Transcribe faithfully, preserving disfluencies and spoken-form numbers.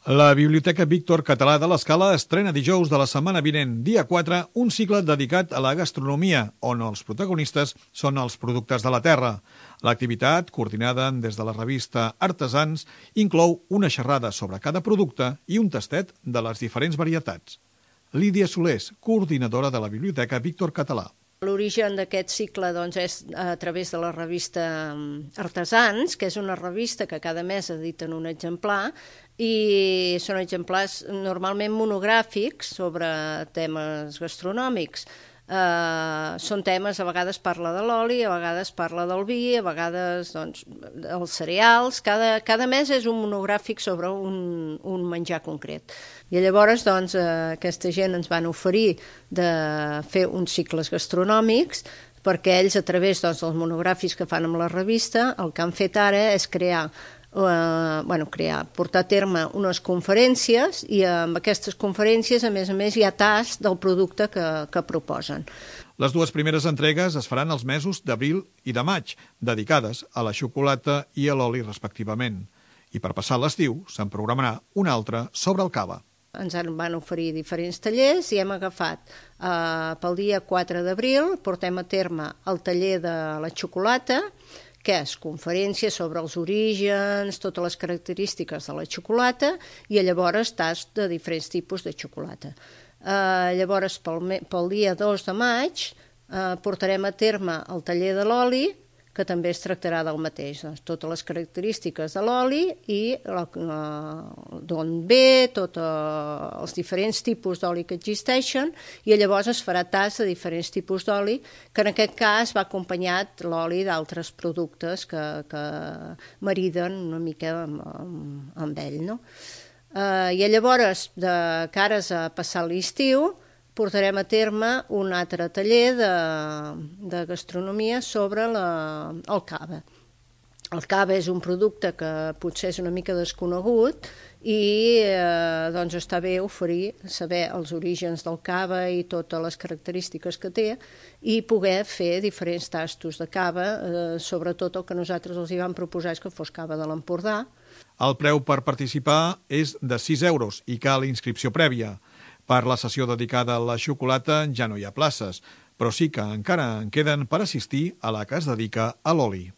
La Biblioteca Víctor Català de l'Escala estrena dijous de la setmana vinent, dia quatre, un cicle dedicat a la gastronomia, on els protagonistes són els productes de la terra. L'activitat, coordinada des de la revista Artesans, inclou una xerrada sobre cada producte i un tastet de les diferents varietats. Lídia Solés, coordinadora de la Biblioteca Víctor Català. L'origen d'aquest cicle doncs, és a través de la revista Artesans, que és una revista que cada mes editen un exemplar, i són exemplars normalment monogràfics sobre temes gastronòmics. Uh, són temes, a vegades parla de l'oli, a vegades parla del vi, a vegades doncs, dels cereals. Cada, cada mes és un monogràfic sobre un, un menjar concret. I llavors doncs, uh, aquesta gent ens van oferir de fer uns cicles gastronòmics perquè ells, a través doncs, dels monogràfics que fan amb la revista, el que han fet ara és crear Uh, bueno, crear, portar a terme unes conferències i amb aquestes conferències, a més a més, hi ha tast del producte que, que proposen. Les dues primeres entregues es faran els mesos d'abril i de maig, dedicades a la xocolata i a l'oli respectivament. I per passar l'estiu se'n programarà una altra sobre el cava. Ens van oferir diferents tallers i hem agafat uh, pel dia quatre d'abril, portem a terme el taller de la xocolata, que és conferència sobre els orígens, totes les característiques de la xocolata i llavors tast de diferents tipus de xocolata. Uh, llavors, pel, pel dia dos de maig, uh, portarem a terme el taller de l'oli, que també es tractarà del mateix, doncs, totes les característiques de l'oli i uh, d'on ve, tots uh, els diferents tipus d'oli que existeixen, i llavors es farà tast de diferents tipus d'oli, que en aquest cas va acompanyat l'oli d'altres productes que, que mariden una mica amb, amb, amb ell. No? Uh, I llavors, de cares a passar l'estiu, portarem a terme un altre taller de, de gastronomia sobre la, el cava. El cava és un producte que potser és una mica desconegut i eh, doncs està bé oferir, saber els orígens del cava i totes les característiques que té i poder fer diferents tastos de cava, eh, sobretot el que nosaltres els hi vam proposar és que fos cava de l'Empordà. El preu per participar és de sis euros i cal inscripció prèvia. Per la sessió dedicada a la xocolata ja no hi ha places, però sí que encara en queden per assistir a la que es dedica a l'oli.